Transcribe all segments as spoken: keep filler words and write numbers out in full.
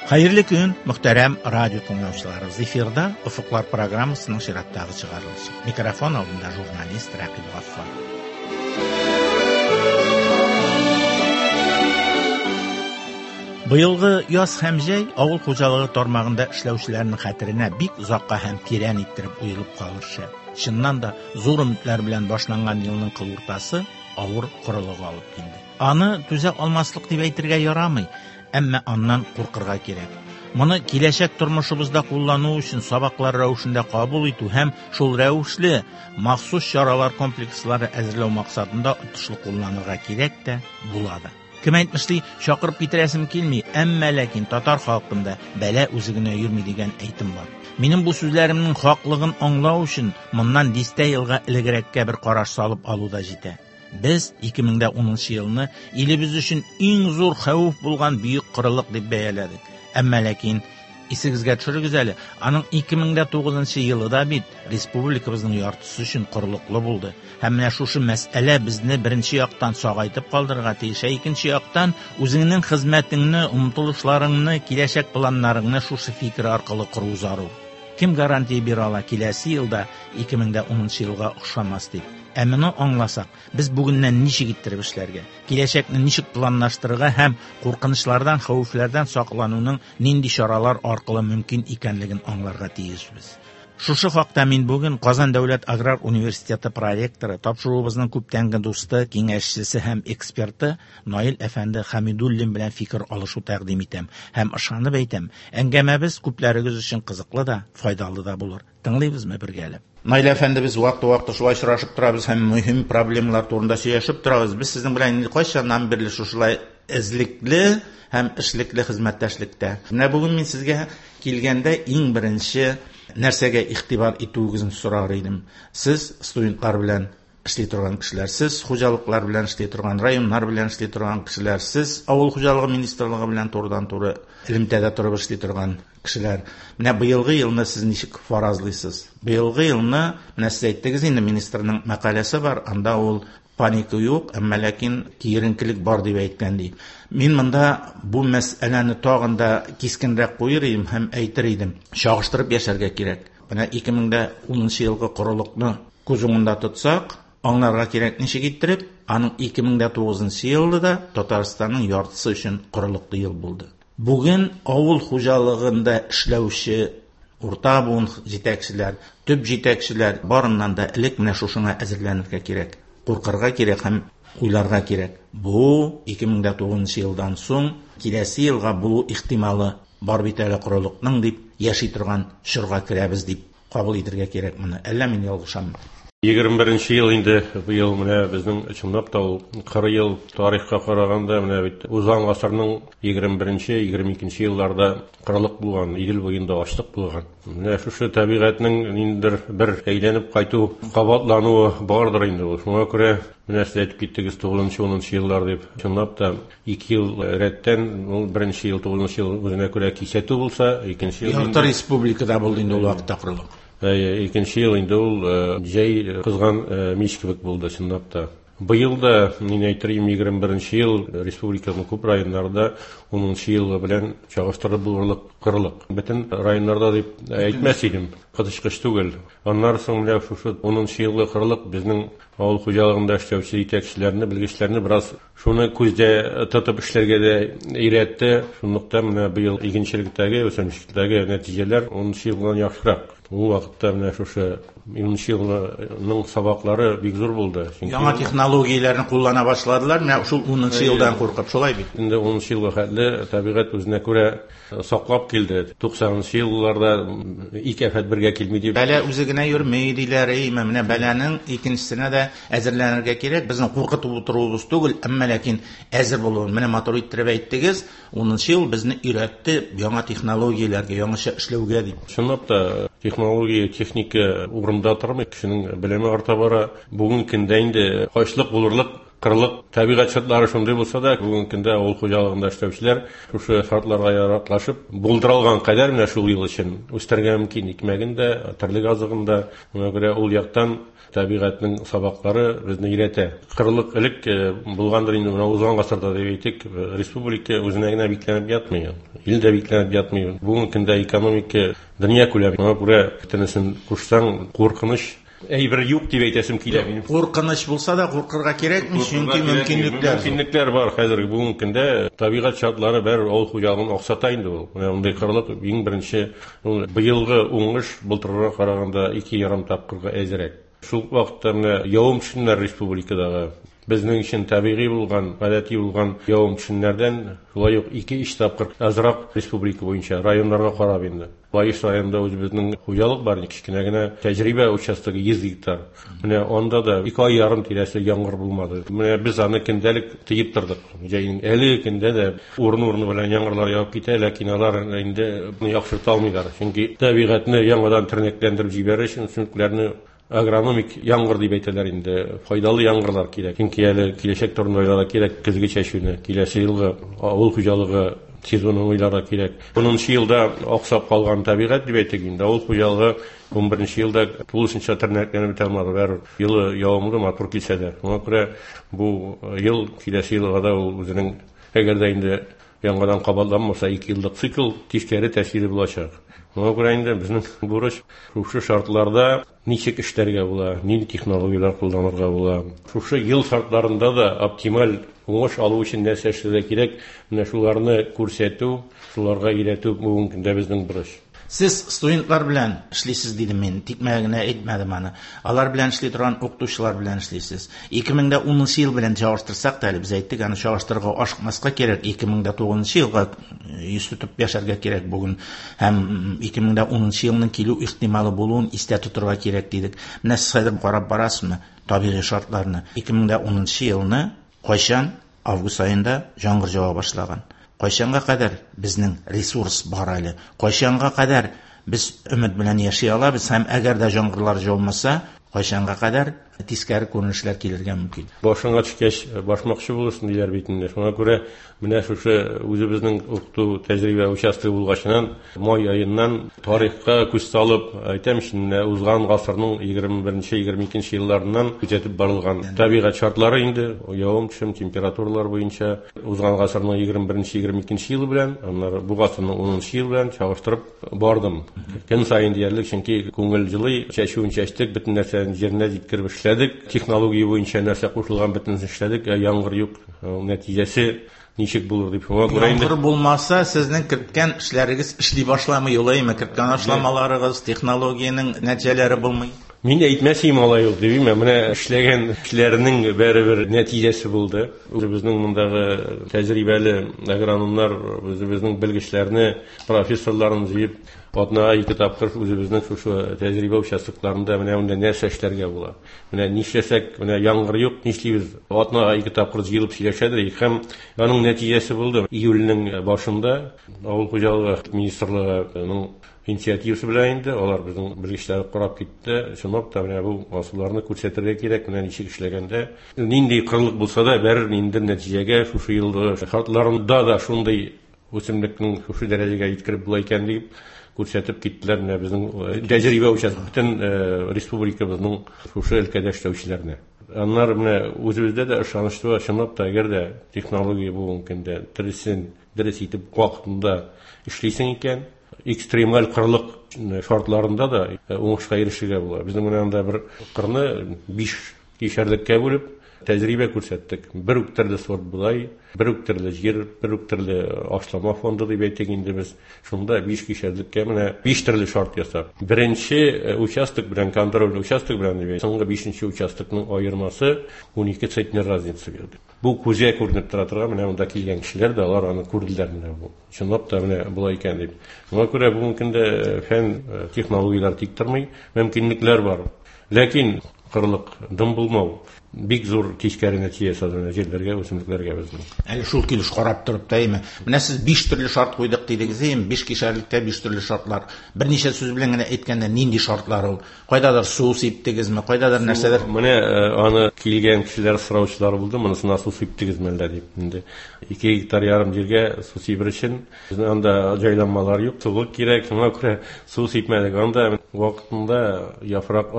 Хәерле көн, мөхтәрәм радио тыңлаучыларыбыз. Эфирда Офыклар программасының чираттагы чыгарылышы. Микрофон алдында журналист Рәкыйп Гаффар. Быелгы яз һәм җәй авыл хуҗалыгы тармагында эшләүчеләрнең хәтеренә бик озакка һәм тирән иттереп уелып калыр шәт. Чыннан да зур өметләр белән башланган елның кыл уртасы авыр корылык алып килде. Аны түзә алмаслык дип әйтергә ярамый, әмма аннан куркырга кирәк. Моны киләчәк тормышыбызда куллану өчен сабаклар рәвешендә кабул итү һәм шул рәвешле махсус чаралар комплекслары әзерләү максатында отышлы кулланырга кирәк тә була да. Кем әйтмешли, чакырып китерәсем килми, әмма ләкин татар халкында бәла үзе генә йөрми дигән әйтем бар. Минем бу сүзләремнең хаклыгын аңлау өчен моннан дистә елга элегрәккә бер караш салып алу да җитә. Без ике мең дә унынчы елны илебез өчен иң зур хәвеф булган бөек корылык дип бәяләдек. Әмма ләкин исегезгә төшерегез әле, аның ике мең дә тугызынчы елы да бит республикабызның яртысы өчен корылыклы булды. Һәм менә шушы мәсьәлә безне беренче яктан сагайтып калдырырга тиеш, ә икенче яктан үзеңнең хезмәтеңне, омтылышларыңны, киләчәк планнарыңны шушы фикер аркылы кору зарур. Кем гарантия бирә ала киләсе елда ике мең дә унынчы елга охшамас дип? Ә моны аңласак, без бүгеннән ничек иттереп эшләргә, киләчәкне ничек планлаштырырга һәм куркынычлардан, хәвефләрдән саклануның нинди чаралар аркылы мөмкин икәнлеген аңларга тиешбез. Шушы хакта мин бүген Казан дәүләт аграр университеты проректоры, тапшыруыбызның күптәнге дусты, киңәшчесе һәм эксперты Наил әфәнде Хәмидуллин белән фикер алышу тәкъдим итәм һәм ышанып әйтәм, әңгәмәбез күпләрегез өчен кызыклы да, файдалы да булыр. Тыңлыйбызмы бергәләп? Наил әфәнде, без вакыты-вакыты шулай очрашып торабыз һәм мөһим проблемалар турында сөйләшеп торабыз. Без сезнең белән инде кайчаннан бирле шушылай эзлекле һәм эшлекле хезмәттәшлектә. Менә бүген мин сезгә килгәндә иң беренче нәрсәгә игътибар итүегезне сорар идем. Сез студентлар белән эшли торган кешеләр, сез хуҗалыклар белән эшли торган, районнар белән эшли торган кешеләр, сез авыл хуҗалыгы министрлыгы белән турыдан-туры элемтәдә торып эшли торган кешеләр. Менә быелгы елны сез ничек фаразлыйсыз? Быелгы елны, менә сез әйттегез инде, министрның мәкаләсе бар, анда ул паника юк, әмма ләкин киеренкелек бар дип әйткән ди. Мин монда бу мәсьәләне тагын да кискенрәк куер идем һәм әйтер идем. Чагыштырып яшәргә кирәк. Менә ике мең дә унынчы елгы корылыкны күз уңында тотсак, аңларга кирәк ничек иттереп, аның ике мең дә тугызынчы елда да Татарстанның яртысы өчен корылыклы ел булды. Бүген авыл хуҗалыгында эшләүче урта буын җитәкчеләр, төп җитәкчеләр барыннан да элек менә шушыңа әзерләнергә кирәк. Куркырга кирәк һәм уйларга кирәк. Бу ике мең дә тугызынчы елдан соң киләсе елга булу ихтималы бар бит әле корылыкның дип яши торган чорга керәбез дип кабул итәргә кирәк моны. Әллә мин ялгышаммы? Егерме беренче ел инде быел менә безнең чынлап та ул кырык ел тарихка караганда менә бит узган гасырның егерме беренче, егерме икенче елларда кырылык булган, Идел буенда ачлык булган. Менә шушы табигатьнең ниндидер бер әйләнеп кайту, кабатлануы бардыр инде ул. Шуңа күрә менә сез әйтеп киттегез тугызынчы, унынчы еллар дип. Чынлап та ике ел рәттән, ул беренче ел, тугызынчы ел үзенә күрә кисәтү булса, икенче ел Ярты республикада булды инде ул вакытта кырылык. Әйе, икенче ел инде ул, э, җәй кызган, э, мич кебек булды чынлап та. Быел да, мин әйтер идем, егерме беренче ел республиканың күп районнарында унынчы елы белән чагыштырып булырлык кырылык. Бөтен районнарда дип әйтмәс идем, коточкыч түгел. Аннан соң менә шушы унынчы елгы кырылык безнең авыл хуҗалыгында эшләүче җитәкчеләрне, белгечләрне бераз шуны күздә тотып эшләргә дә өйрәтте. Шунлыктан менә быел игенчелектәге, үсемлекчелектәге нәтиҗәләр унынчы елдан яхшырак. Ул вакытта менә шушы унынчы елның сабаклары бик зур булды. Чөнки яңа технологияләрне куллана башладылар, менә шул унынчы Әйе. елдан куркып, шулай бит. Инде унынчы елга хәтле табигать үзенә күрә саклап килде. Туксанынчы елларда ике афәт бергә килми дип. Бәла үзе генә йөрми диләр, әйме, менә бәланең икенчесенә дә әзерләнергә кирәк. Безнең куркытып утыруыбыз түгел, әмма ләкин әзер булуын. Менә матур иттереп әйттегез, унынчы ел безне өйрәтте яңа технологияләргә, яңача эшләүгә дип. Чынлап та технология, техника урында тормый, кешенең белеме арта бара. Бүгенге көндә инде ачлык булырлык Кырлык табигать шартлары шундый булса да, бүгенге көндә авыл хуҗалыгында эшләүчеләр шушы шартларга яраклашып, булдырылган кадәр менә шул ел өчен үстерергә мөмкин икмәген дә, терлек азыгын да. Шуңа күрә ул яктан табигатьнең сабаклары безне өйрәтә. Кырлык элек булгандыр инде, менә узган гасырда дип әйтик, республика үзенә генә бикләнеп ятмый, ил дә бикләнеп ятмый. Бүгенге көндә экономика дөнья күләме. Шуңа күрә бөтенесен кушсаң, куркыныч әйбер юк дип әйтәсем килә минем. Куркыныч булса да куркырга кирәкми, чөнки мөмкинлекләр. Мөмкинлекләр бар хәзер бүгенге көндә. Табигать шартлары бер авыл хуҗалыгын аксата инде ул. Менә мондый кырлык иң беренче ул быелгы уңыш былтырга караганда ике ярым тапкырга әзрәк. Шул вакытта менә явым-төшемнәр республикадагы безнең өчен табигый булган, гадәти булган явым-төшемнәрдән шулай ук ике-өч тапкыр азрак республика буенча районнарга карап инде. Лаеш районында үзебезнең хуҗалык бар, кечкенә генә тәҗрибә участогы йөз гектар. Менә анда да ике ай ярым тирәсе яңгыр булмады. Менә без аны көндәлек тыеп тордык. Җәйнең әле көндә дә урын-урыны белән яңгырлар явып китә, ләкин алар инде яхшырта алмыйлар. Чөнки табигатьне яңадан тернәкләндереп җибәрер өчен үсемлекләрне агрономик яңгыр дип әйтәләр инде, файдалы яңгырлар кирәк. Чөнки әле киләчәк турында уйларга кирәк, көзге чәчүне, киләсе елгы авыл хуҗалыгы сезонын уйларга кирәк. Унынчы елда аксап калган табигать дип әйтик инде, авыл хуҗалыгы ун беренче елда тулысынча тернәкләнеп бетә алмады. Бәрбер елы явымлы, матур килсә дә. Шуңа күрә бу ел киләсе елга да ул үзенең, әгәр дә инде яңадан кабатланмаса, ике еллык цикл тискәре тәэсире булачак. Шуңа күрә инде безнең бурыч шушы шартларда ничек эшләргә була, нинди технологияләр кулланырга була. Шушы ел шартларында да оптималь уңыш алу өчен нәрсә эшләргә кирәк, менә шуларны күрсәтү, шуларга өйрәтү бүгенге көндә безнең бурыч. Сез студентлар белән эшлисез дидем мин, тикмә генә әйтмәдем аны. Алар белән эшли торган укытучылар белән эшлисез. ике мең дә унынчы ел белән чагыштырсак та әле без әйттек, аны чагыштырырга ашыкмаска кирәк. ике мең дә тугызынчы елга йөз тотып яшәргә кирәк бүген һәм ике мең дә унынчы елның килү ихтималы булуын истә тотырга кирәк дидек. Менә сез хәзер карап барасызмы табигый шартларны? ике мең дә унынчы елны кайчан август аенда яңгыр ява башлаган. Кайчанга кадәр безнең ресурс бар әле? Кайчанга кадәр без өмет белән яши алабыз һәм әгәр дә яңгырлар яумаса, кайчанга кадәр тискәре күренешләр килергә мөмкин? Башыңа төшкәч, башмакчы булырсың диләр бит инде. Шуңа күрә менә шушы үзебезнең укыту тәҗрибә участогы булгачыннан май аеннан тарихка күз салып әйтәм, менә узган гасырның егерме беренче, егерме икенче елларыннан күзәтеп барылган табигать шартлары инде, явым-төшем, температуралар буенча узган гасырның егерме беренче, егерме икенче елы белән, аннары бу гасырның унынчы елы белән чагыштырып бардым. Көн саен диярлек, чөнки күңел җылый, чәчүен чәчтек, бөтен нәрсәне җиренә җиткереп эшләдек. Технология буенча нәрсә кушылган бөтенесен эшләдек, ә яңгыр юк. Нәтиҗәсе ничек булыр дип шуңа күрә инде. Яңгыр булмаса, сезнең керткән эшләрегез эшли башламый, юлаймы? Керткән ашламаларыгыз, технологиянең нәтиҗәләре булмый. Мин әйтмәс идем алай ук дип, менә эшләгән эшләрнең бәребер нәтиҗәсе булды. Үзебезнең мондагы тәҗрибәле агрономнар, үзебезнең белгечләрне, профессорларны җыеп, атнага ике тапкыр үзебезнең шушы тәҗрибә участокларында менә монда нәрсә эшләргә була. Менә нишләсәк, менә яңгыр юк, нишлибез? Атнага ике тапкыр җыелып сөйләшәдек һәм аның нәтиҗәсе булды. Июльнең башында авыл хуҗалыгы министрлыгының инициативасы белән инде алар безнең белгечләр карап китте. Чынлап та менә бу асылларны күрсәтергә кирәк, менә ничек эшләгәндә, нинди кырлык булса да, бәрбер ниндидер нәтиҗәгә шушы елгы шартларында да шундый үсемлекнең шушы дәрәҗәгә җиткереп була икән дип күрсәтеп киттеләр. Менә безнең тәҗрибә участок бөтен республикабызның шушы өлкәдә эшләүчеләрне. Аннары менә үзебездә дә ышаныч туа, чынлап та әгәр дә технология бүгенге көндә дөресен дөрес итеп вакытында эшлисең икән, экстремаль кырлык шартларында да уңышка ирешергә була. Безнең менә анда бер кырны биш кишәрлеккә бүлеп тәҗрибә күрсәттек. Бер үк төрле сорт бодай, бер үк төрле җир, бер үк төрле ашлама фонды дип әйтик инде без. Шунда биш кишәрлеккә менә биш төрле шарт ясап. Беренче участок белән контроль участок белән дип, соңгы бишенче участокның аермасы ун ике центнер разница бирде. Бу күзгә күренеп тора торган, менә монда килгән кешеләр дә алар аны күрделәр менә бу. Чынлап та менә болай икән дип. Шуңа күрә бүгенге көндә фән, технологияләр тик тормый, мөмкинлекләр бар. Ләкин кырлык, дым булмау, Бик зур тискәре нәтиҗә ясады җирләргә, үсемлекләргә безнең. Әле шул килеш карап торып та име. Менә сез биш төрле шарт куйдык дидегез, әйеме? Биш кишәрлектә биш төрле шартлар. Берничә сүз белән генә әйткәндә нинди шартлар ул? Кайдадыр су сиптегезме, кайдадыр нәрсәдер? Менә аны килгән кешеләр сораучылар булды, монысына су сиптегезме әллә дип. Инде ике гектар ярым җиргә су сибер өчен безнең анда җайланмалар юк, сулык кирәк, шуңа күрә су сипмәдек. Анда вакытында яфрак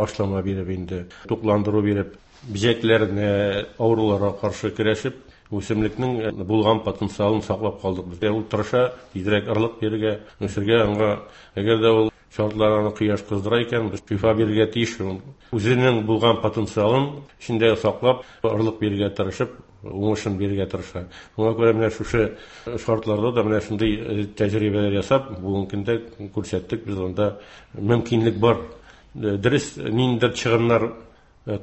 ашлама биреп инде, тукландыру биреп, бөҗәкләрне, авыруларга каршы көрәшеп, үсемлекнең булган потенциалын саклап калдык. Безгә ул тырыша, тизрәк орлык бирергә, үсергә аңа, әгәр дә ул шартлар аны кояш кыздыра икән, без шифа бирергә тиеш. Үзенең булган потенциалын эчендә саклап, орлык бирергә тырышып, уңышын бирергә тырыша. Шуңа күрә менә шушы шартларда да менә шундый тәҗрибәләр ясап, бүгенге көндә күрсәттек, без анда мөмкинлек бар. Дөрес, ниндидер чыгымнар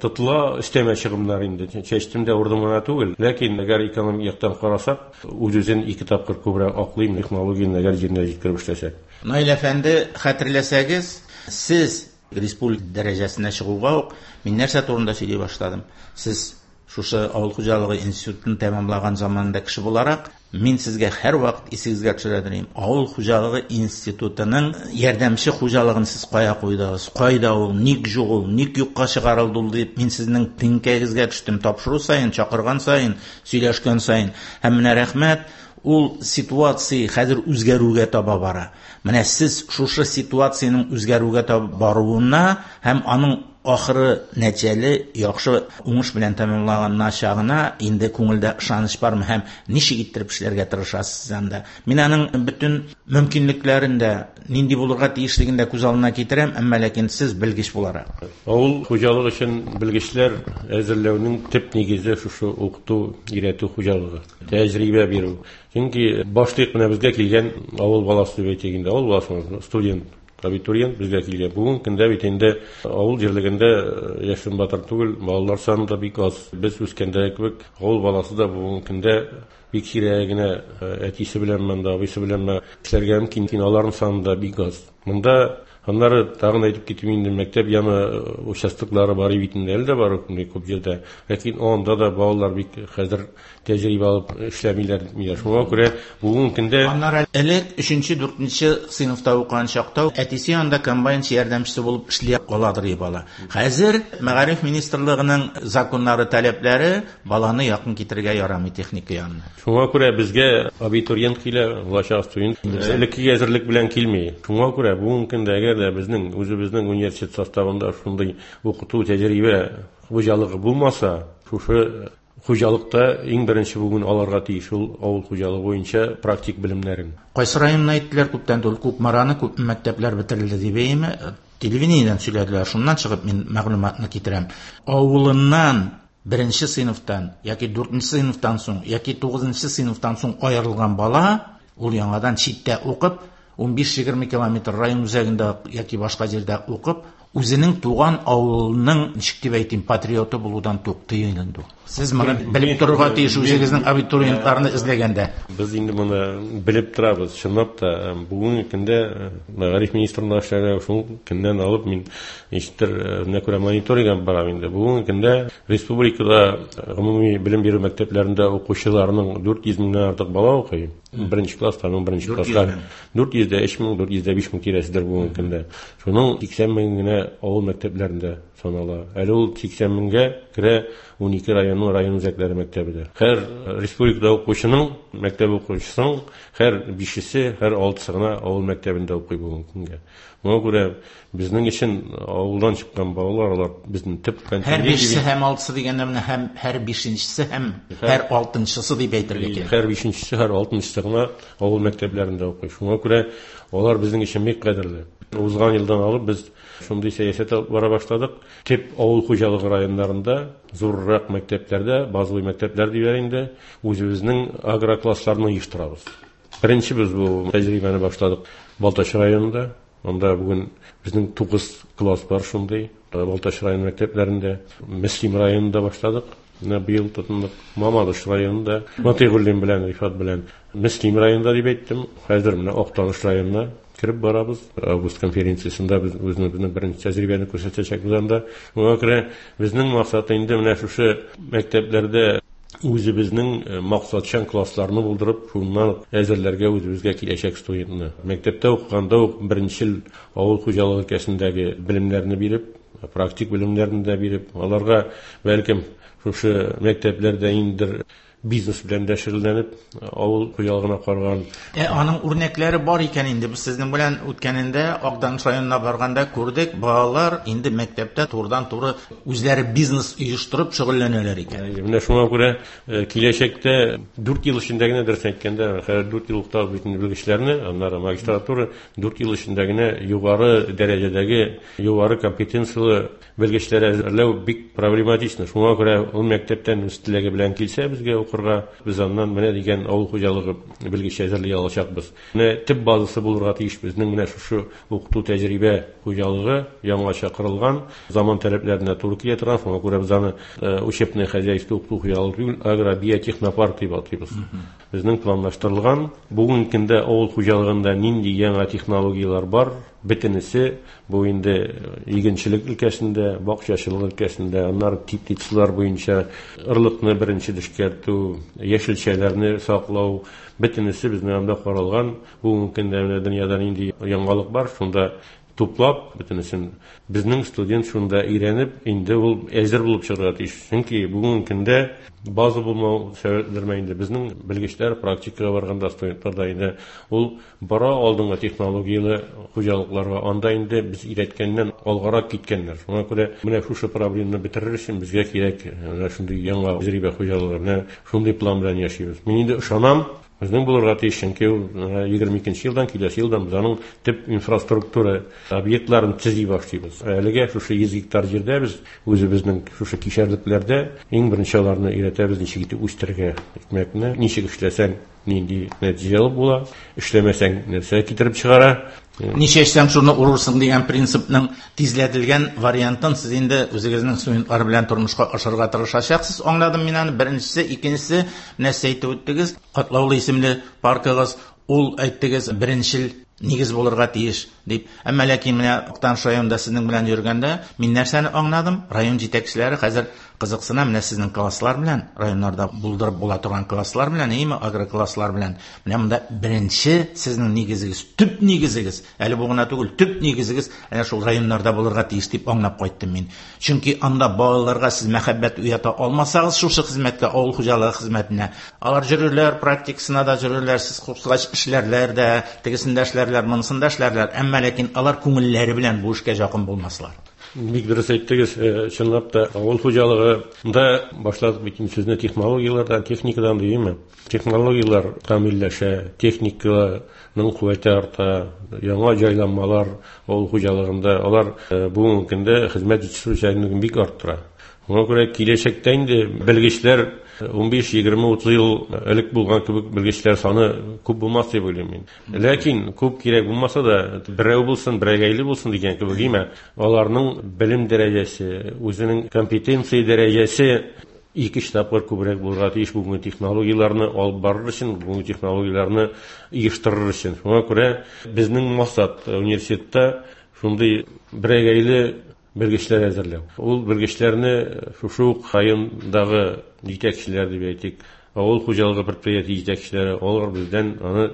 тотыла, өстәмә чыгымнар инде. Чәчтем дә урдым гына түгел. Ләкин әгәр экономик яктан карасак, үз-үзен ике тапкыр күбрәк аклыйм технологияне әгәр җиренә җиткереп эшләсәк. Наил әфәнде, хәтерләсәгез, сез республика дәрәҗәсенә чыгуга ук мин нәрсә турында сөйли башладым. Сез шушы авыл хуҗалыгы институтын тәмамлаган заманда кеше буларак, мин сезгә һәрвакыт исегезгә төшерә торыйм. Авыл хуҗалыгы институтының ярдәмче хуҗалыгын сез кая куйдыгыз? Кайда ул? Ник юк ул? Ник юкка чыгарылды ул дип мин сезнең теңкәгезгә төштем. Тапшыру саен, чакырган саен, сөйләшкән саен. Һәм менә рәхмәт, ул ситуация хәзер үзгәрүгә таба бара. Менә сез шушы ситуациянең үзгәрүгә таба баруына һәм аның ахыры нәтиҗәле, яхшы уңыш белән тәмамланачагына инде күңелдә ышаныч бармы һәм ничек иттереп эшләргә тырышасыз анда? Мин аның бөтен мөмкинлекләрен дә, нинди булырга тиешлеген дә күз алдына китерәм, әмма ләкин сез белгеч буларак. Авыл хуҗалыгы өчен белгечләр әзерләүнең төп нигезе шушы укыту, өйрәтү хуҗалыгы, тәҗрибә бирү. Чөнки башлык менә безгә килгән авыл баласы дип әйтик инде, авыл баласы, студент, абитуриент безгә килгән. Бүген көндә бит инде авыл җирлегендә яшен батыр түгел, балалар саны да бик аз. Без үскәндә кебек авыл баласы да бүгенге көндә бик сирәк генә әтисе беләнме, абыйсы беләнме эшләргә мөмкин, аларның саны да бик аз. Монда аннары тагын әйтеп китим инде, мәктәп яны участоклары бар бит инде, әле дә бар күп җирдә. Ләкин анда да балалар бик хәзер тәҗрибә алып эшләмиләр. Шуңа күрә бүгенге көндә аннары элек өченче, дүртенче сыйныфта укыган чакта әтисе янында комбайнчы ярдәмчесе булып эшли аладыр ди бала. Хәзер Мәгариф министрлыгының законнары, таләпләре баланы якын китерергә ярамый техника янына. Шуңа күрә безгә абитуриент килә, булачак студент элеккеге әзерлек белән килми. Шуңа күрә бүгенге көндә әгәр дә безнең үзебезнең университет составында шундый укыту тәҗрибә хуҗалыгы булмаса, шушы хуҗалыкта иң беренче бүген аларга тиеш ул авыл хуҗалыгы буенча практик белемнәрен. Кайсы районны әйттеләр күптән түгел, Кукмараны күп мәктәпләр бетерелде дип әйме? Телевидениедән сөйләделәр, шуннан чыгып мин мәгълүматны китерәм. Авылыннан беренче сыйныфтан яки дүртенче сыйныфтан соң яки тугызынчы сыйныфтан соң аерылган бала ул яңадан читтә укып ун биш-егерме километр район үзәгендә яки башка җирдә укып, үзенең туган авылының, ничек дип әйтим, патриоты булудан туктый инде. Сез моны белеп торырга тиеш үзегезнең абитуриентларны эзләгәндә. Без инде моны белеп торабыз. Чынлап та бүгенге көндә Мәгариф министрлыгында эшләгән шул көннән алып мин ничектер менә күрә мониторинг алып барам инде. Бүгенге көндә республикада гомуми белем бирү мәктәпләрендә укучыларның дүрт йөз меңнән артык бала укый. Беренче класстан беренче класска дүрт йөз дә өч мең, дүрт йөз дә биш мең тирәседер бүгенге көндә. Шуның сиксән мең генә авыл мәктәпләрендә санала. Әле ул сиксән меңгә керә ун ике районның район үзәкләре мәктәбе дә. Һәр республикада укучының, мәктәп укучысының һәр бишесе, һәр алтысы гына авыл мәктәбендә укый бүгенге көнгә. Моңа күрә безнең өчен авылдан чыккан балалар, алар безнең төп контингент. Һәр бишесе һәм алтысы дигәндә менә һәм һәр бишенчесе һәм һәр алтынчысы дип әйтергә кирәк. Һәр бишенчесе, һәр алтынчысы гына авыл мәктәпләрендә укый. Шуңа күрә алар безнең өчен бик кадерле. Узган елдан алып без шундый сәясәт алып бара башладык. Төп авыл хуҗалыгы районнарында, зуррак мәктәпләрдә, базовый мәктәпләр диләр инде, үзебезнең агроклассларны оештырабыз. Беренче без бу тәҗрибәне башладык Балтач районында. Анда бүген безнең тугыз класс бар шундый. Балтач район мәктәпләрендә, Мөслим районында башладык. Менә быел тотындык Мамадыш районында, Матыйгуллин белән, Рифат белән Мөслим районында дип әйттем. Хәзер менә Актаныш районына кереп барабыз. Август конференциясендә без үзебезнең беренче тәҗрибәне күрсәтәчәкбез анда. Шуңа күрә безнең максат инде менә шушы мәктәпләрдә үзебезнең максатчан классларны булдырып, шуннан әзерләргә үзебезгә киләчәк студентны. Мәктәптә укыганда ук беренчел авыл хуҗалыгы өлкәсендәге белемнәрне биреп, практик белемнәрне дә биреп, аларга бәлкем шушы мәктәпләрдә инде бизнес белән дә шөгыльләнеп, авыл хуҗалыгына караган. Ә аның үрнәкләре бар икән инде. Без сезнең белән үткәнендә Акданыш районына барганда күрдек, балалар инде мәктәптә турыдан-туры үзләре бизнес оештырып шөгыльләнәләр икән. Менә шуңа күрә киләчәктә дүрт ел эчендә генә, дөрес әйткәндә, хәзер дүрт ел укытабыз бит инде белгечләрне, аннары магистратура дүрт ел эчендә генә югары дәрәҗәдәге, югары компетенцияле белгечләр әзерләү бик проблематично. Шуңа күрә ул мәктәптән үз теләге белән килсә безгә укырга, без аннан менә дигән авыл хуҗалыгы белгече әзерли алачакбыз. Менә төп базасы булырга тиеш безнең менә шушы укыту тәҗрибә хуҗалыгы яңача корылган, заман таләпләренә туры килә торган. Шуңа күрә без аны учебное хозяйство укыту хуҗалыгы түгел, агробиотехнопарк дип атыйбыз. Безнең планлаштырылган бүгенге көндә авыл хуҗалыгында нинди яңа технологияләр бар, бөтенесе бу инде игенчелек өлкәсендә, бакчачылык өлкәсендә, аннары теплицалар буенча орлыкны беренче эшкәртү, яшелчәләрне саклау, бөтенесе безнең анда каралган. Бүгенге көндә менә дөньяда нинди яңалык бар, шунда туплап, бөтенесен безнең студент шунда өйрәнеп, инде ул әзер булып чыгарга тиеш. Чөнки бүгенге көндә база булмау сәбәпләренә инде безнең белгечләр практикага барганда студентлар да инде ул бара алдынгы технологияле хуҗалыкларга, анда инде без өйрәткәннән алгарак киткәннәр. Шуңа күрә менә шушы проблеманы бетерер өчен безгә кирәк менә шундый яңа тәҗрибә хуҗалыгы, менә шундый план белән яшибез. Мин инде ышанам, безнең булырга тиеш, чөнки ул егерме икенче елдан, киләсе елдан без аның төп инфраструктура объектларын төзи башлыйбыз. Әлегә шушы йөз гектар җирдә без үзебезнең шушы кишәрлекләрдә иң беренче аларны өйрәтәбез, ничек итеп үстерергә икмәкне, ничек эшләсәң нинди нәтиҗә алып була, эшләмәсәң нәрсә китереп чыгара. Ничә эшләсәң шуны урырсың дигән принципның тизләтелгән вариантын сез инде үзегезнең студентлар белән тормышка ашырырга тырышачаксыз. Аңладым мин аны. Беренчесе, икенчесе, менә сез әйтеп үттегез, Катлаулы исемле паркыгыз, ул әйттегез, беренчел нигез булырга тиеш дип. Әмма ләкин менә Актаныш районында сезнең белән йөргәндә мин нәрсәне аңладым? Район җитәкчеләре хәзер кызыксына менә сезнең класслар белән, районнарда булдырып була торган класслар белән, әйеме, агрокласслар белән. Менә монда беренче сезнең нигезегез, төп нигезегез, әле бу гына түгел, төп нигезегез әнә шул районнарда булырга тиеш дип аңлап кайттым мин. Чөнки анда балаларга сез мәхәббәт уята алмасагыз шушы хезмәткә, авыл хуҗалыгы хезмәтенә, алар йөрерләр, практикасына да йөрерләр, сез кушкач эшләрләр дә, тегесендә эшләрләр, монысында эшләрләр, әмма ләкин алар күңелләре белән бу эшкә якын булмаслар. Бик дөрес әйттегез, чынлап та авыл хуҗалыгында башладык бит инде сүзне технологияләрдән, техникадан димме? Технологияләр камилләшә, техниканың куәте арта, яңа җайланмалар авыл хуҗалыгында, алар бүгенге көндә хезмәт җитештерүчәнлеген бик арттыра. Шуңа күрә киләчәктә инде белгечләр унбиш, егерме, утыз ел элек булган кебек белгечләр саны күп булмас дип уйлыйм мин. Ләкин күп кирәк булмаса да, берәү булсын, берәгәйле булсын дигән кебек, әйме, аларның белем дәрәҗәсе, үзенең компетенция дәрәҗәсе ике-өч тапкыр күбрәк булырга тиеш бүгенге технологияләрне алып барыр өчен, бүгенге технологияләрне оештырыр өчен. Шуңа күрә безнең максат университетта шундый берәгәйле белгечләр әзерләү. Ул белгечләрне шушы ук райондагы җитәкчеләр дип әйтик, авыл хуҗалыгы предприятие җитәкчеләре, алар бездән аны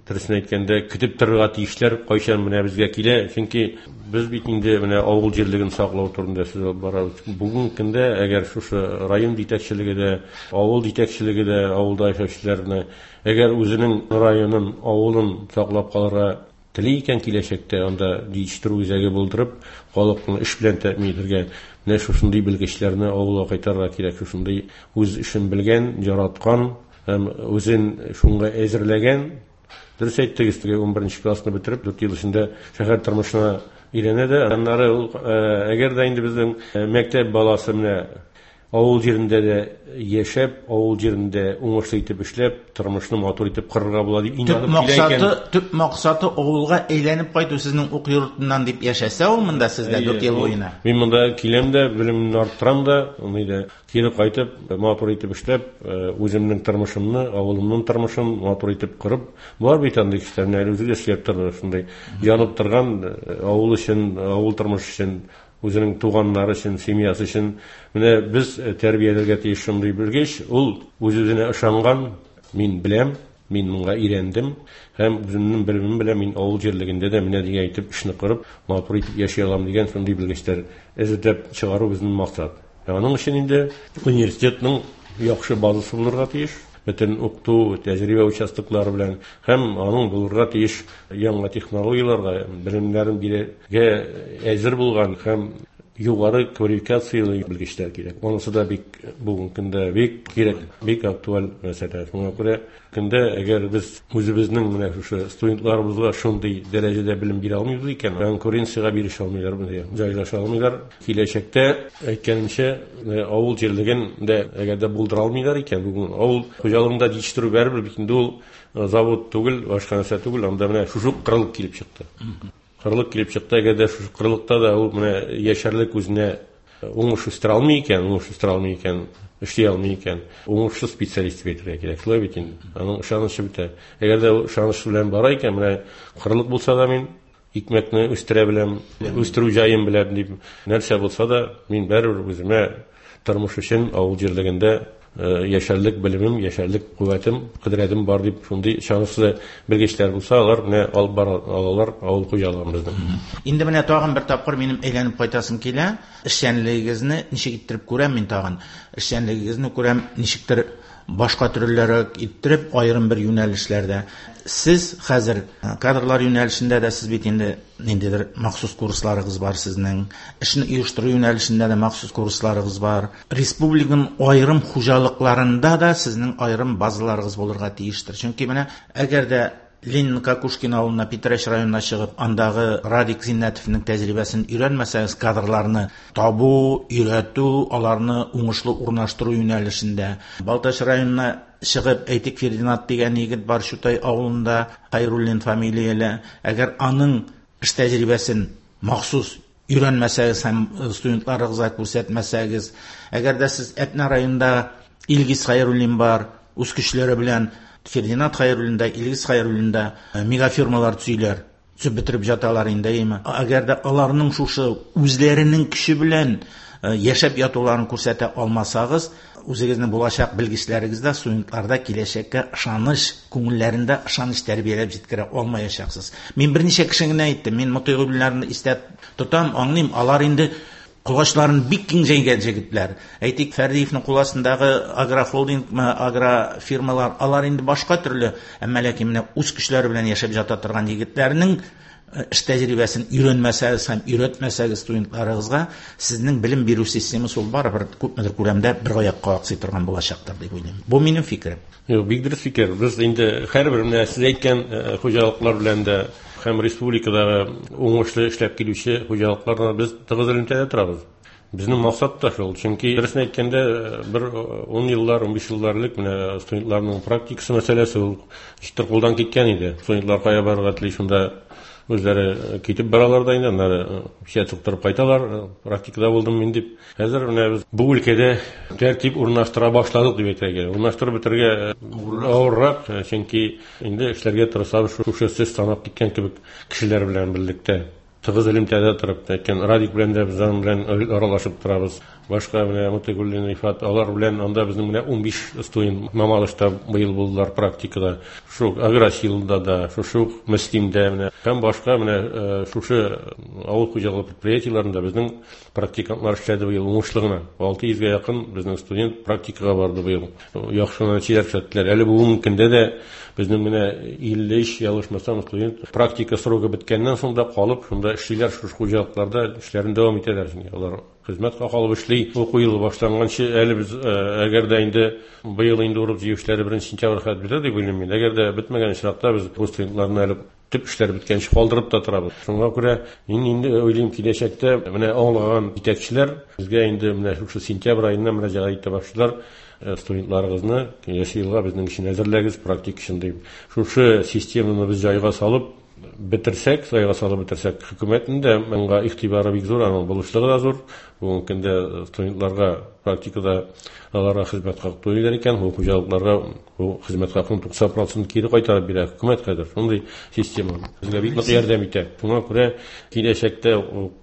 дөресен әйткәндә көтеп торырга тиешләр, кайчан менә безгә килә, чөнки без бит инде менә авыл җирлеген саклау турында сүз алып барабыз. Бүгенге көндә әгәр шушы район җитәкчелеге дә, авыл җитәкчелеге дә авылда яшәүчеләрне әгәр үзенең районын, авылын саклап калырга тели икән киләчәктә, анда җитештерү үзәге булдырып, халыкны эш белән тәэмин итәргә, менә шушындый белгечләрне авылга кайтарырга кирәк, шушындый үз эшен белгән, яраткан һәм үзен шуңа әзерләгән. Дөрес әйттегез, теге унберенче классны бетереп, дүрт ел эчендә шәһәр тормышына өйрәнә дә, аннары ул, әгәр дә инде безнең мәктәп баласы менә Авыл җирендә дә яшәп, авыл җирендә уңышлы итеп эшләп, тормышны матур итеп корырга була дип инанып килә икән. Төп максаты авылга әйләнеп кайту сезнең уку йортыннан дип яшәсә ул монда сездә дүрт ел буена. Мин монда киләм дә, белемемне арттырам да, аны да кире кайтып, матур итеп эшләп, үземнең тормышымны, авылымның тормышын матур итеп корып, бар бит андый кешеләр, әле үзе дә эшләп торды, шундый янып торган авыл өчен, авыл тормышы өчен, үзенең туганнары өчен, семьясы өчен. Менә без тәрбияләргә тиеш шундый белгеч, ул үз-үзенә ышанган, мин беләм, мин моңа өйрәндем һәм үземнең белемем белән мин авыл җирлегендә дә менә дигән итеп эшне корып, матур итеп яши алам дигән шундый белгечләр әзерләп чыгару безнең максат. Аның өчен инде университетның яхшы базасы булырга тиеш, бөтен укыту, тәҗрибә участоклары белән һәм аның булырга тиеш яңа технологияләргә, белемнәрен бирергә әзер булган һәм югары квалификацияле белгечләр кирәк. Монысы да бик бүгенге көндә бик кирәк, бик актуаль мәсьәлә. Шуңа күрә көндә әгәр без үзебезнең менә шушы студентларыбызга шундый дәрәҗәдә белем бирә алмыйбыз икән, конкуренциягә бирешә алмыйлар, җайлаша алмыйлар. Киләчәктә әйткәнемчә, авыл җирлеген дә әгәр дә булдыра алмыйлар икән, бүген авыл хуҗалыгында җитештерү барыбер бит инде ул завод түгел, башка нәрсә түгел, анда менә шушы кырылып килеп чыкты. Кырлык килеп чыкты, әгәр дә шушы кырлыкта да ул менә яшәрлек үзенә уңыш үстерә алмый икән, уңыш үстерә алмый икән, эшли алмый икән, уңышсыз специалист дип әйтергә кирәк. Шулай бит инде. Аның ышанычы бетә. Әгәр дә ул ышаныч белән бара икән, менә кырлык булса да мин икмәкне үстерә беләм, үстерү җаен беләм дип, нәрсә булса да, мин барыбер үземә тормыш өчен авыл җирлегендә яшәрлек белемем, яшәрлек куәтем, кодрәтем бар дип шундый ышанычлы белгечләр булса, алар менә алып бара алалар авыл хуҗалыгын безнең. Инде менә тагын бер тапкыр минем әйләнеп кайтасым килә. Эшчәнлегегезне ничек иттереп күрәм мин тагын. Эшчәнлегегезне күрәм ничектер башка төрлерәк иттереп, аерым бер юнәлешләрдә. Сез хәзер кадрлар юнәлешендә дә сез бит инде ниндидер махсус курсларыгыз бар сезнең. Эшне оештыру юнәлешендә дә махсус курсларыгыз бар. Республиканың аерым хуҗалыкларында да сезнең аерым базаларыгыз булырга тиештер. Чөнки менә әгәр дә Ленин Кокушкин авылына, Питрәч районына чыгып, андагы Радик Зиннәтовның тәҗрибәсен өйрәнмәсәгез, кадрларны табу, өйрәтү, аларны уңышлы урнаштыру юнәлешендә. Балтач районына чыгып, әйтик, Фердинанд дигән егет бар Чутай авылында, Хайруллин фамилияле. Әгәр аның эш тәҗрибәсен махсус өйрәнмәсәгез һәм студентларыгызга күрсәтмәсәгез, әгәр дә сез Әтнә районында Илгиз Хайруллин бар, үз көчләре белән Фердинанд Хайруллин да, Илгиз Хайруллин да мегафирмалар төзиләр, төзеп бетереп жаталар инде, әйме. Әгәр дә аларның шушы үзләренең көче белән яшәп ятуларын күрсәтә алмасагыз, үзегезнең булачак белгечләрегездә, студентларда киләчәккә ышаныч, күңелләрендә ышаныч тәрбияләп җиткерә алмаячаксыз. Мин берничә кеше генә әйттем, мин Мотыйгуллиннарны истә тотам, аңлыйм, алар инде кулачларын бик киң җәйгән җегетләр. Әйтик, Фәрдиевнең кул астындагы агрохолдинг, агрофирмалар, алар инде башка төрле, әмма ләкин менә үз көчләре белән яшәп ята торган егетләрнең эш тәҗрибәсен өйрәнмәсәгез һәм өйрәтмәсәгез студентларыгызга, сезнең белем бирү системасы ул барыбер күпмедер күләмдә бер аякка аксый торган булачактыр дип уйлыйм. Бу минем фикерем. Юк, бик дөрес фикер. Без инде һәрбер менә сез әйткән хуҗалыклар белән дә һәм республикадагы уңышлы эшләп килүче хуҗалыклар белән без тыгыз элемтәдә торабыз. Безнең максат та шул. Чөнки дөресен әйткәндә, бер ун еллар, унбиш еллар элек менә студентларның практикасы мәсьәләсе ул ничектер кулдан киткән иде. Студентлар кая барырга тели, шунда үзләре китеп баралар да инде, аннары печать суктырып кайталар, практикада булдым мин дип. Хәзер менә без бу өлкәдә тәртип урнаштыра башладык дип әйтергә кирәк. Урнаштырып бетерергә авыррак, чөнки инде эшләргә тырышабыз шушы сез санап киткән кебек кешеләр белән берлектә. Тыгыз элемтәдә торып, әйткән Радик белән дә без аның белән аралашып торабыз. Башка менә Мотыйгуллин Рифат, алар белән анда безнең менә унбиш студент Мамадышта быел булдылар практикада. Шул Агросилда да, шушы ук Мөслимдә менә һәм башка менә шушы авыл хуҗалыгы предприятиеләрендә безнең практикантлар эшләде быел уңышлы гына. Алты йөзгә якын безнең студент практикага барды быел. Яхшы нәтиҗәләр күрсәттеләр. Әле бүгенге көндә дә безнең менә илле өч, ялгышмасам, студент практика срогы беткәннән соң да калып, шунда Анда эшлиләр, шушы хуҗалыкларда эшләрен дәвам итәләр. Чөнки алар хезмәт хакы алып эшли. Уку елы башланганчы әле без, әгәр дә инде быел инде урып җыю эшләре беренче сентябрь хәтле бетә дип уйлыйм мин. Әгәр дә бетмәгән очракта без бу студентларны әле төп эшләр беткәнче калдырып та торабыз. Шуңа күрә мин инде уйлыйм, киләчәктә менә аңлаган җитәкчеләр безгә инде менә шушы сентябрь аеннан мөрәҗәгать итә башлыйлар. Студентларыгызны киләсе елга безнең өчен әзерләгез, практик өчен дип. Шушы системаны без җайга салып бетерсәк, җайга салып бетерсәк, хөкүмәтнең дә моңа игътибары бик зур, аның булышлыгы да зур. Бүгенге көндә студентларга практикада аларга хезмәт хакы түлиләр икән, бу хуҗалыкларга бу хезмәт хакын туксан процент кире кайтарып бирә хөкүмәт хәзер. Шундый система безгә бик нык ярдәм итә. Шуңа күрә киләчәктә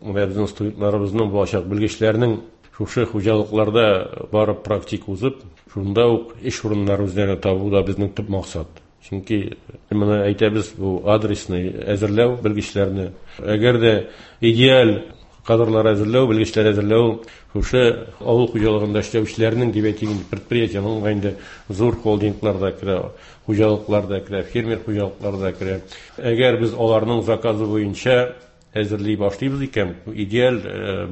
менә безнең студентларыбызның, булачак белгечләрнең шушы хуҗалыкларда барып практика узып, шунда ук эш урыннары үзләренә табу да безнең төп максат. Чөнки моны әйтәбез, бу адресный әзерләү белгечләрне. Әгәр дә идеаль кадрлар әзерләү, белгечләр әзерләү шушы авыл хуҗалыгында эшләүчеләрнең дип әйтик инде, предприятиенең инде зур холдинглар да керә, хуҗалыклар да керә, фермер хуҗалыклар да керә. Әгәр без аларның заказы буенча әзерли башлыйбыз икән, идеаль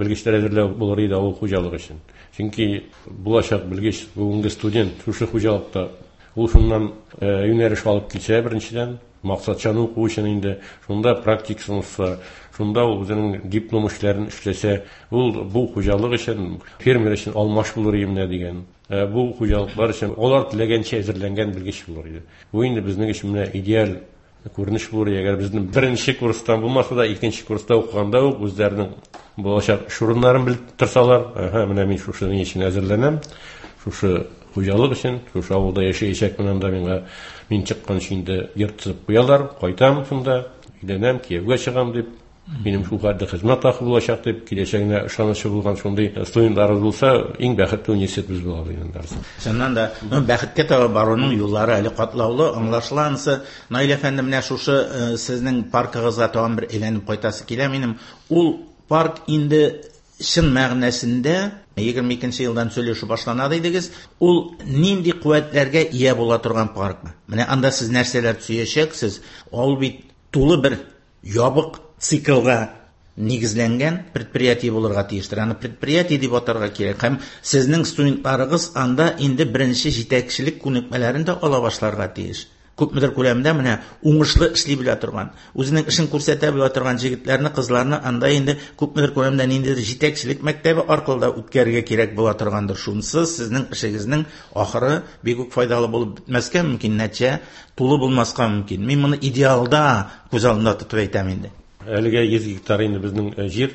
белгечләр әзерләү булыр иде авыл хуҗалыгы өчен. Чөнки булачак белгеч, бүгенге студент шушы хуҗалыкта ул шуннан юнәлеш алып килсә, беренчедән, максатчан уку өчен инде шунда практикасын узса, шунда ул үзенең диплом эшләрен эшләсә, ул бу хуҗалык өчен, фермер өчен алмаш булыр иде менә дигән. Бу хуҗалыклар өчен алар теләгәнчә әзерләнгән белгеч булыр иде. Бу инде безнең өчен менә идеаль күренеш булыр. Әгәр безнең беренче курстан булмаса да, икенче курста укыганда ук үзләренең булачак эш урыннарын белеп торсалар, әһә, менә мин шушы ни өчен әзерләнәм, шушы хуҗалык өчен, шушы авылда яшәячәкмен, анда миңа мин чыкканчы инде йорт төзеп куялар, кайтам шунда, өйләнәм, кияүгә чыгам дип, минем шул хәтле хезмәт хакы булачак дип, киләчәгенә ышанычы булган шундый студентларыбыз булса, иң бәхетле университет без булабыз инде. Чыннан да, ну, бәхеткә таба баруның юллары әле катлаулы, аңлашыла анысы. Наил әфәнде, менә шушы, э, сезнең паркыгызга тагын бер әйләнеп кайтасы килә минем. Ул парк инде чын мәгънәсендә егерме икенче елдан сөйләшү башлана дидегез. Ул нинди куәтләргә ия була торган паркмы? Менә анда сез нәрсәләр төзәчәксез? Ул бит тулы бер ябык циклга нигезләнгән предприятие булырга тиештер. Аны предприятие дип атарга кирәк. Һәм сезнең студентларыгыз анда инде беренче җитәкчелек күнекмәләрен дә ала башларга тиеш. Күпмедер күләмдә менә уңышлы эшли белә торган, үзенең эшен күрсәтә белә торган җегетләрне, кызларны анда инде күпмедер күләмдә ниндидер җитәкчелек мәктәбе аркылы да үткәрергә кирәк була торгандыр. Шунсыз сезнең эшегезнең ахыры бик үк файдалы булып бетмәскә мөмкин, нәтиҗә тулы булмаска мөмкин. Мин моны идеалда күз алдында тотып әйтәм инде. Әлегә йөз гектар инде безнең, э, җир.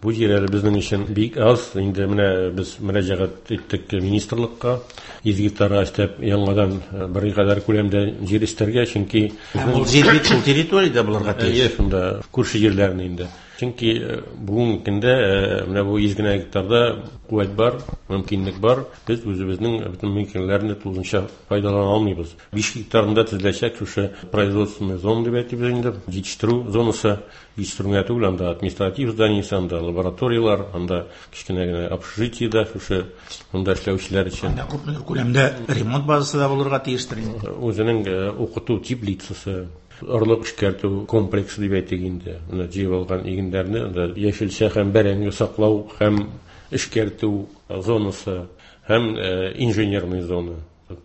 Бу җир әле безнең өчен бик аз. Инде менә без мөрәҗәгать иттек министрлыкка. Йөз гектарга өстәп яңадан, э, бер кадәр күләмдә җир өстәргә, чөнки Һәм ул җир бит шул территориядә булырга тиеш. Әйе, шунда күрше җирләрне инде. Чөнки, э, бүгенге көндә, э, менә бу йөз генә гектарда куәт бар, мөмкинлек бар. Без үзебезнең бөтен мөмкинлекләрне тулысынча файдалана алмыйбыз. Биш гектарында төзеләчәк шушы производственный зона дип әйтәбез инде, җитештерү зонасы. Җитештерү генә түгел, анда административ здание, анда лабораториялар, анда кечкенә генә общежитие да, шушы монда эшләүчеләр өчен. Анда күпмедер күләмдә ремонт базасы да булырга тиештер инде. Үзенең, э, укыту теплицасы, орлык эшкәртү комплексы дип әйтик инде. Менә җыеп алган игеннәрне анда яшелчә һәм бәрәңге саклау һәм эшкәртү зонасы һәм, э, инженерный зона.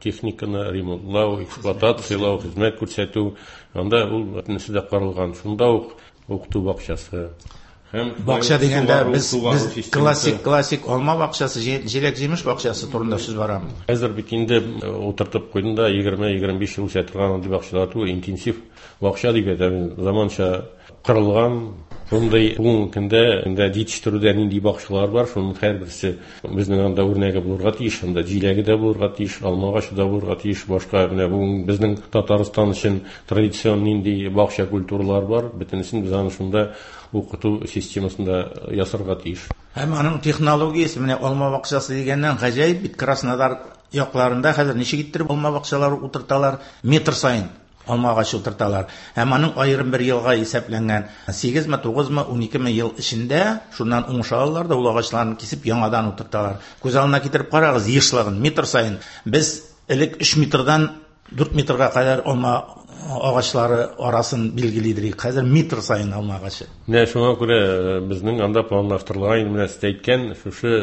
Техниканы ремонтлау, эксплуатациялау, хезмәт күрсәтү, анда ул бөтенесе дә каралган. Шунда ук укыту бакчасы. Һәм Бакча дигәндә сугару, без, сугару без системасы. классик, классик алма бакчасы, җи-, җиләк-җимеш бакчасы турында сүз барамы? Хәзер бит инде, э, утыртып куйдым да егерме-егерме биш ел үсә торган андый бакчалар түгел, интенсив бакча дип әйтәм, заманча кырылган. Шундый бүгенге көндә инде җитештерүдә нинди бакчалар бар, шуның һәрберсе безнең анда үрнәге булырга тиеш, анда җиләге дә булырга тиеш, алма агачы да булырга тиеш, башка менә бүген безнең Татарстан өчен традицион нинди бакча культуралар бар, бөтенесен без аны шунда укыту системасында ясарга тиеш. Һәм аның технологиясе менә алма бакчасы дигәннән гаҗәеп бит. Краснодар якларында хәзер ничек иттереп алма бакчалары утырталар, метр саен алма агачы утырталар. Һәм аның аерым бер елга исәпләнгән сигезме, тугызмы, уникеме ел эчендә шуннан уңыш алалар да ул агачларны кисеп яңадан утырталар. Күз алдына китереп карагыз ешлыгын, метр саен. Без элек өч метрдан дүрт метрга кадәр алма агачлары арасын билгелидер. Хәзер метр саен алма агачы. Менә шуңа күрә безнең анда планлаштырылган, инде менә сез әйткән шушы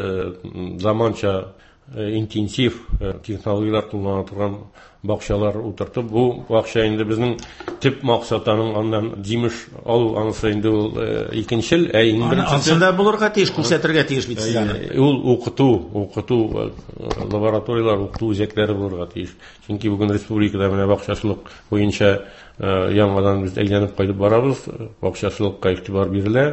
заманча интенсив технологияләр куллана торган бакчалар утыртып, бу бакча инде безнең төп максат аның аннан җимеш алу, анысы инде ул икенчел, ә иң беренчесе ансында булырга тиеш, күрсәтергә тиеш бит сез аны. Ул укыту, укыту лабораторияләр, укыту үзәкләре булырга тиеш. Чөнки бүген республикада менә бакчачылык буенча яңадан без әйләнеп кайтып барабыз, бакчачылыкка игътибар бирелә.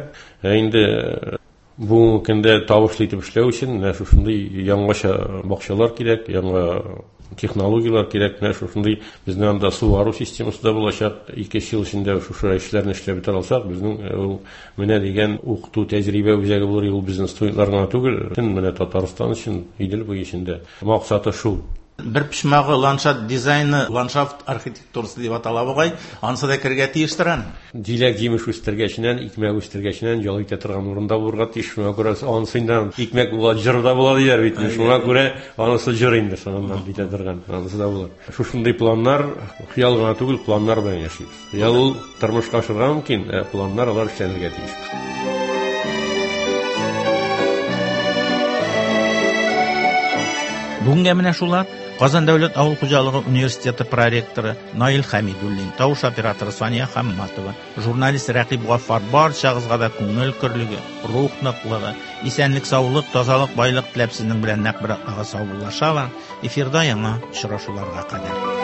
Ә инде бүгенге көндә табышлы итеп эшләү өчен менә шушындый яңача бакчалар кирәк, яңа технологияләр кирәк. Менә шушындый безнең анда сугару системасы да булачак. Ике ел эчендә шушы эшләрне эшләп бетерә алсак, безнең ул менә дигән укыту тәҗрибә үзәге булыр. Ул безнең студентлар гына түгел, бөтен менә Татарстан өчен, Идел буе өчен дә максаты шул. Бер почмагы ландшафт дизайны, ландшафт архитектурасы дип атала бугай, анысы да керергә тиештер аны. Җиләк җимеш үстергәченнән, икмәк үстергәченнән ял итә торган урында булырга тиеш. Шуңа күрә анысыннан икмәк була, җыр да була диләр бит. Шуңа күрә анысы җыр инде, шуннан битә торган, анысы да була. Шушындый планнар, хыял гына түгел, планнар белән яшибез. Хыял ул тормышка ашырга мөмкин, ә планнар алар эшләнергә тиеш. Бүгенгә менә шулар. Казан дәүләт авыл хуҗалыгы университеты проректоры Наил Хәмидуллин, тавыш операторы Сания Хамматова, журналист Рәкыйп Гаффар барчагызга да күңел көрлеге, рух ныклыгы, исәнлек, саулык, тазалык, байлык теләп сезнең белән нәкъ бер атнага саубуллашалар. Эфирда яңа очрашуларга кадәр.